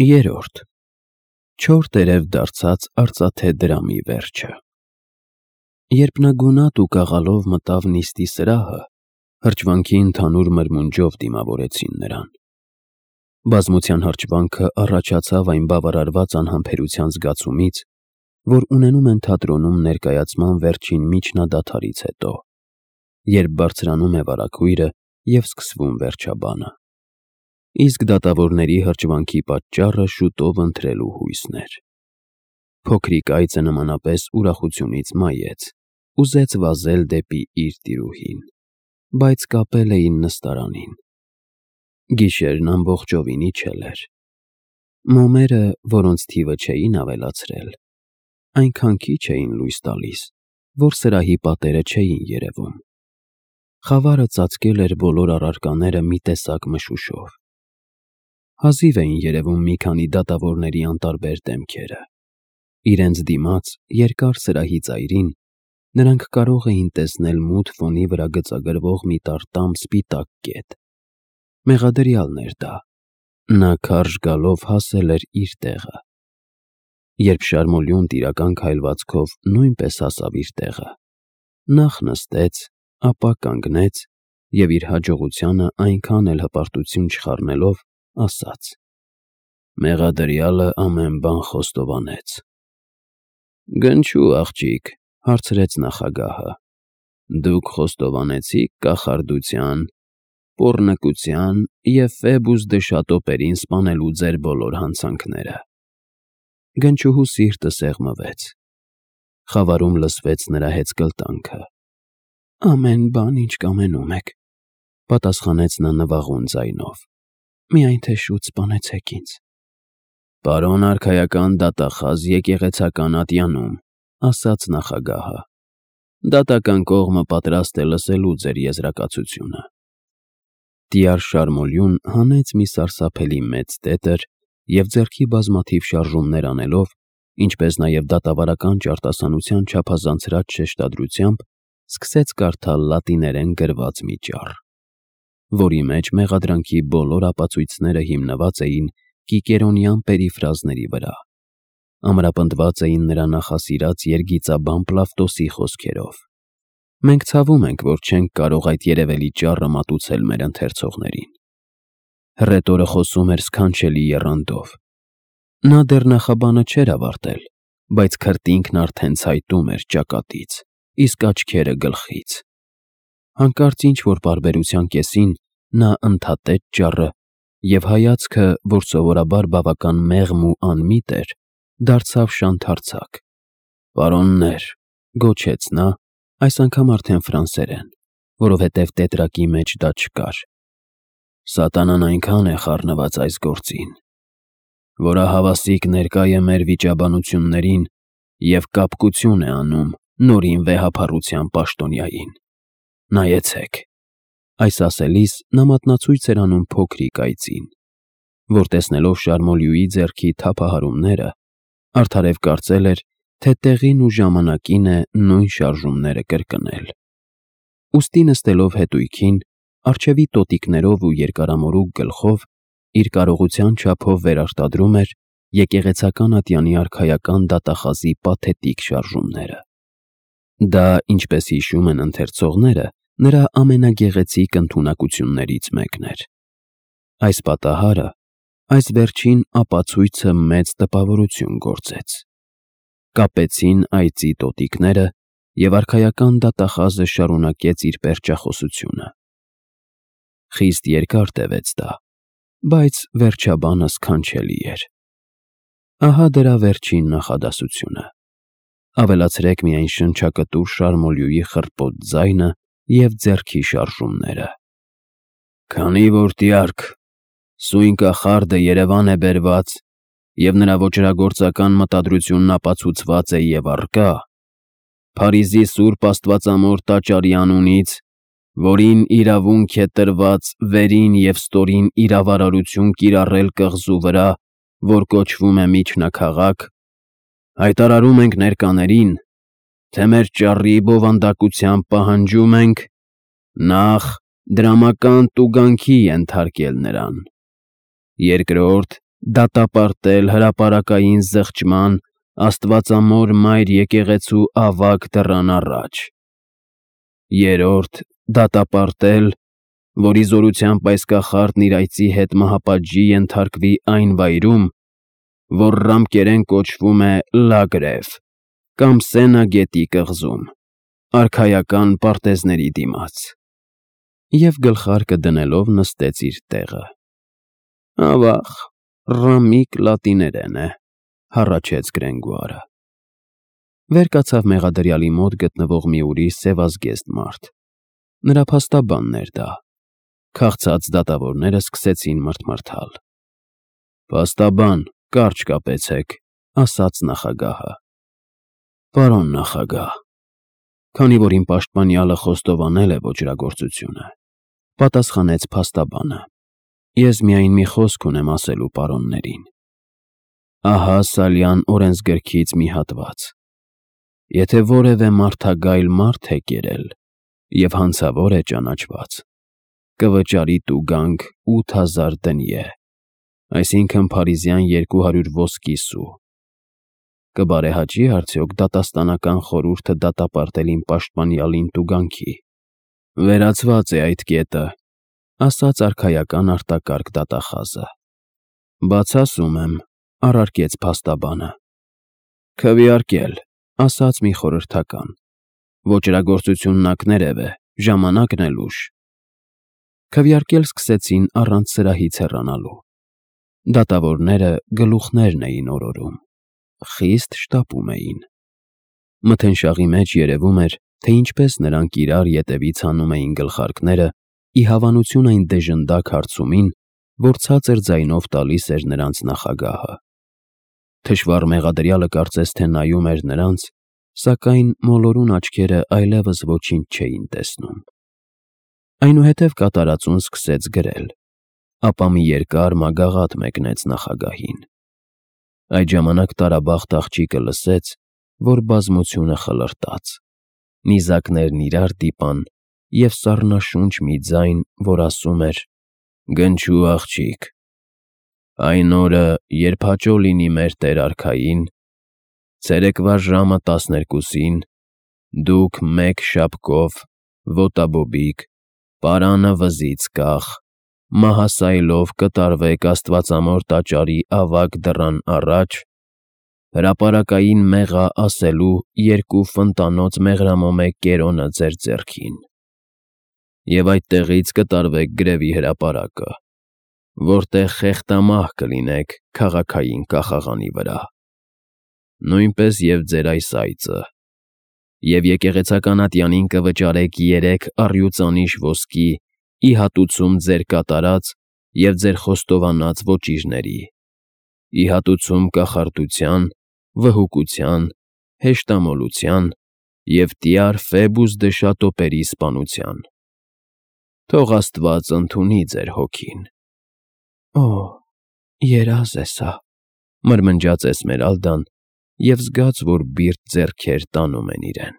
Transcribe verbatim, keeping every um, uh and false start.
Երորդ Չոր տերև դարձած արծաթե դրամի վերջը։ Երբ նա գունատ ու կաղալով մտավ նիստի սրահը, հրճվանքի ընդհանուր մրմունջով դիմավորեցին նրան։ Բազմության հրճվանքը առաջացավ այն բավարարված անհամբերության զգացումից, որ ունենում են թատրոնում ներկայացման վերջին միջնադադարից հետո, երբ բարձրանում է վարագույրը և սկսվում վերջաբանը։ Իսկ դատավորների հրճվանքի պատճառը շուտով ընտրելու հույսն էր։ Փոքրիկ այծը նմանապես ուրախությունից մայեց, ուզեց վազել դեպի իր տիրուհին, բայց կապել էին նստարանին։ Գիշերն ամբողջովին իջել էր։ Մոմերը, որոնց թիվը չէին ավելացրել, այնքան քիչ էին լույս տալիս, որ սրահի պատերը չէին երևում։ Խավարը ծածկել էր բոլոր առարկաները մի տեսակ մշուշով։ Հազիվ էին երևում մի քանի դատավորների անտարբեր դեմքերը։ Իրենց դիմաց երկար սրահի ծայրին նրանք կարող էին տեսնել մութ ֆոնի վրա գծագրվող մի տարտամ սպիտակ կետ։ Մեղադրյալն էր դա։ Նա քարշ գալով հասել էր իր տեղը։ Երբ շարմոլյուն տիրական քայլվածքով նույնպես հասավ իր տեղը, նախ նստեց, ապա կանգնեց և իր հաջողությանը այնքան էլ հպարտություն չխառնելով, ասաց. «Մեղադրյալը ամեն բան խոստովանեց»։ «Գնչու, աղջիկ», հարցրեց նախագահը, «դուք խոստովանեցիք կախարդության, պոռնկության և Ֆեբուս Դշատոպերին սպանելու ձեր բոլոր հանցանքները»։ Գնչուհու սիրտը սեղմվեց։ Խավարում լսվեց նրա հեծկլտանքը։ «Ամեն բան, ինչ կամենում եք», պատասխանեց նա նվաղուն ձայնով, «միայն թե շուտ սպանեցեք ինձ»։ «Պարոն արքայական դատախազ եկեղեցական ատյանում», ասաց նախագահը, «դատական կողմը պատրաստ է լսելու ձեր եզրակացությունը»։ Տյար Շարմոլյուն հանեց մի սարսափելի մեծ տետր և ձեռքի բազմաթիվ շարժումներ անելով, ինչպես նաև դատավարական ճարտասանության չափազանցրած շեշտադրությամբ, սկսեց կարդալ լատիներեն գրված մի ճառ, որի մեջ մեղադրանքի բոլոր ապացույցները հիմնված էին կիկերոնյան պերիֆրազների վրա, ամրապնդված էին նրա նախասիրած երգիծաբան Պլավտոսի խոսքերով։ Մենք ցավում ենք, որ չենք կարող այդ երևելի ճառը մատուցել մեր ընթերցողներին։ Հռետորը խոսում էր սքանչելի եռանդով։ Նա դեռ նախաբանը չէր ավարտել, բայց քրտինքն արդեն ցայտում էր ճակատից, իսկ աչքերը գլխից։ Հանկարծ ինչ-որ պարբերության կեսին նա ընդհատեց ճառը և հայացքը, որ սովորաբար բավական մեղմ ու անմիտ էր, դարձավ շանթարցակ։ «Պարոններ», գոչեց նա, այս անգամ արդեն ֆրանսերեն, որովհետև տետրակի մեջ դա չկար, «սատանան այնքան է խառնված այս գործին, որ ահավասիկ ներկա է մեր վիճաբանություններին և կապկություն է անում նորին վեհափառության պաշտոնյային։ Նայեցեք»։ Այս ասելիս նա մատնացույց էր անում փոքրիկ այծին, որ տեսնելով Շարմոլյուի ձեռքի թափահարումները, արդարև կարծել էր, թե տեղին ու ժամանակին է նույն շարժումները կրկնել։ Ուստի նստելով հետույքին, առջևի տոտիկներով ու երկարամորուք գլխով, իր կարողության չափով վերարտադրում էր եկեղեցական ատյանի արքայական դատախազի պաթետիկ շարժումները։ Դա, ինչպես հիշում են ընթերցողները, նրա ամենագեղեցիկ ընդունակություններից մեկն էր։ Այս պատահարը, այս վերջին ապացույցը մեծ տպավորություն գործեց։ Կապեցին այծի տոտիկները, և արքայական դատախազը շարունակեց իր պերճախոսությունը։ Խիստ երկար տևեց դա, բայց վերջաբանը սքանչելի էր։ Ահա դրա վերջին նախադասությունը։ Ավելացրեք միայն շնչակտուր Շարմոլյուի խռպոտ ձայնը և ձեռքի շարժումները։ «Քանի որ տյարք, սույն կախարդը Երևան է բերված և նրա ոճրագործական մտադրությունն ապացուցված է և առկա, Փարիզի Սուրբ Աստվածամոր տաճարի անունից, որին իրավունք է տրված վերին և ստորին իրավարարություն կիրառել կղզու վրա, որ կոչվում է Միջնաքաղաք, հայտարարում ենք ներկաներին, թե մեր ճառի բովանդակությամբ պահանջում ենք նախ, դրամական տուգանքի ենթարկել նրան, երկրորդ, դատապարտել հրապարակային զղջման Աստվածամոր մայր եկեղեցու ավագ դռան առաջ։ Երրորդ, դատապարտել, որ ի զորությամբ այս կախարդն իր այծի հետ մահապատժի ենթարկվի այն վայրում, որ ռամկերեն կոչվում է Լագրև կամ Սենա գետի կղզում, արքայական պարտեզների դիմաց։ Եվ գլխարկը դնելով նստեց իր տեղը։ Ավաղ, ռամիկ լատիներեն է, հառաչեց Գրենգուարը։ Վեր կացավ մեղադրյալի մոտ գտնվող մի ուրիշ սևազգեստ մարդ։ Նրա փաստաբանն էր դա։ Քաղցած դատավորները սկսեցին մրթմրթալ։ Փաստաբան, կարճ կապեցեք, ասաց նախագահը։ Պարոն նախագահ, քանի որ իմ պաշտպանյալը խոստովանել է ոճրագործությունը, պատասխանեց փաստաբանը, ես միայն մի խոսք ունեմ ասելու պարոններին։ Ահա Սալյան օրենսգրքից մի հատված. Եթե որևէ մարդագայլ մարդ է կերել և հանցավոր է ճանաչված, կվճարի տուգանք ութ հազար դնիե, այսինքն փարիզյան երկու հարյուր ոսկի սու։ Կբարեհաճի՞ արդյոք դատաստանական խորհուրդը դատապարտել իմ պաշտպանյալին տուգանքի։ Վերացված է այդ կետը, ասաց արքայական արտակարգ դատախազը։ Բաց ասում եմ, առարկեց փաստաբանը։ Քվեարկել, ասաց մի խորհրդական։ Ոճրագործությունն ակներև է, ժամանակն էլ ուշ։ Քվեարկել սկսեցին առանց սրահից հեռանալու։ Դատավորները գլուխներն էին օրորում, խիստ շտապում էին։ Մթնշաղի մեջ երևում էր, թե ինչպես նրանք իրար ետևից հանում էին գլխարկները ի հավանություն այն դեժնդակ հարցումին, որ ցածր ձայնով տալիս էր նրանց նախագահը։ Թշվառ մեղադրյալը կարծես թե նայում էր նրանց, սակայն մոլորուն աչքերը այլևս ոչինչ չէին տեսնում։ Այնուհետև կատարածուն սկսեց գրել, ապա մի երկար մագաղաթ մեկնեց նախագահին։ Այդ ժամանակ տարաբախտ աղջիկը լսեց, որ բազմությունը խլրտաց, նիզակներն իրար դիպան և սառնաշունչ մի ձայն, որ ասում էր. «Գնչու աղջիկ, այն օրը, երբ հաճո լինի մեր Տեր արքային, ցերեկվա ժամը տասներկուսին, դուք մեկ շապկով, ոտաբոբիկ, պարանը վզից կախ, մահասայլով կտարվեք Աստվածամոր տաճարի ավագ դռան առաջ, հրապարակային մեղա ասելու երկու ֆնտանոց մեղրամոմե կերոնը ձեր ձեռքին, և այդտեղից կտարվեք գրևի հրապարակը, որտեղ խեղտամահ կլինեք քաղաքային կախաղանի վրա, նույնպես և ձեր այս այծը, և եկեղեցական ատյանին կվճարեք երեք առյուծանիշ ոսկի ի հատուցում ձեր կատարած և ձեր խոստովանած ոճիրների, ի հատուցում կախարդության, վհուկության, հեշտամոլության և տյար Ֆեբուս Դշատոպերի սպանության։ Թող Աստված ընդունի ձեր հոգին»։ Օ՜, երազ է սա, մրմնջաց Էսմերալդան և զգաց, որ բիրտ ձեռքեր տանում են իրեն։